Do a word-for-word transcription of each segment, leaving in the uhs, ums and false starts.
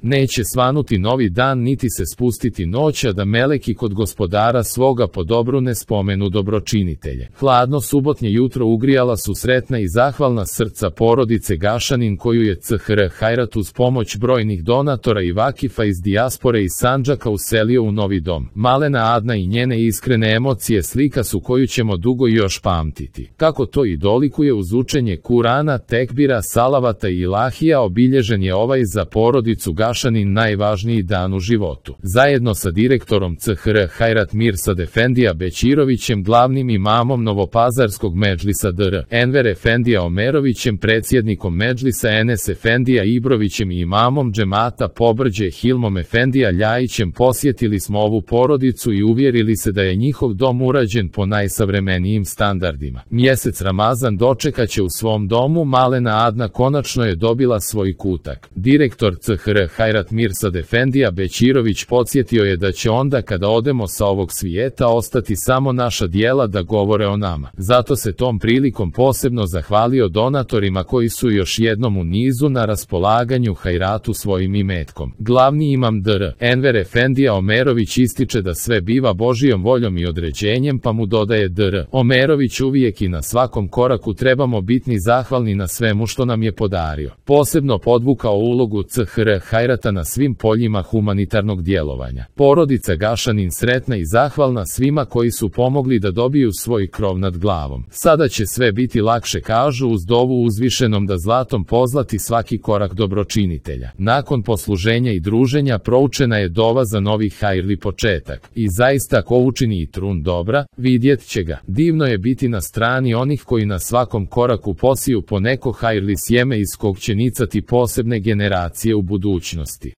Neće svanuti novi dan niti se spustiti noć, a da meleki kod gospodara svoga po dobru ne spomenu dobročinitelje. Hladno subotnje jutro ugrijala su sretna i zahvalna srca porodice Gašanin, koju je C H R Hajrat uz pomoć brojnih donatora i vakifa iz dijaspore i Sandžaka uselio u novi dom. Malena Adna i njene iskrene emocije slika su koju ćemo dugo još pamtiti. Kako to i dolikuje uz učenje Kurana, tekbira, salavata i ilahija, obilježen je ovaj za porodicu Gašanin najvažniji dan u životu. Zajedno sa direktorom C H R Hajrat Mirsad Efendija Bećirovićem, glavnim imamom Novopazarskog medžlisa D R Enver Efendija Omerovićem, predsjednikom medžlisa Enes Efendija Ibrovićem i imamom džemata Pobrđe Hilmom Efendija Ljajićem posjetili smo ovu porodicu i uvjerili se da je njihov dom urađen po najsavremenijim standardima. Mjesec Ramazan dočekaće u svom domu. Malena Adna konačno je dobila svoj kutak. Direktor C H R Hajrat Mirsad Efendija Bećirović podsjetio je da će onda kada odemo sa ovog svijeta ostati samo naša djela da govore o nama. Zato se tom prilikom posebno zahvalio donatorima koji su još jednom u nizu na raspolaganju Hajratu svojim imetkom. Glavni imam D R Enver Efendija Omerović ističe da sve biva Božijom voljom i određenjem, pa mu dodaje D R Omerović: uvijek i na svakom koraku trebamo biti zahvalni na svemu što nam je podario. Posebno podvukao ulogu C H R Hajrata na svim poljima humanitarnog djelovanja. Porodica Gašanin sretna i zahvalna svima koji su pomogli da dobiju svoj krov nad glavom. Sada će sve biti lakše, kažu, uz dovu uzvišenom da zlatom pozlati svaki korak dobročinitelja. Nakon posluženja i druženja proučena je dova za novi hajrli početak. I zaista ko učini i trun dobra, vidjet će ga. Divno je biti na strani onih koji na svakom koraku posiju po neko hajrli sjeme iz kog će nicati posebne generacije u budućnosti.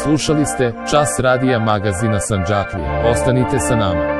Slušali ste Čas radija magazina Sandžaklija. Ostanite sa nama.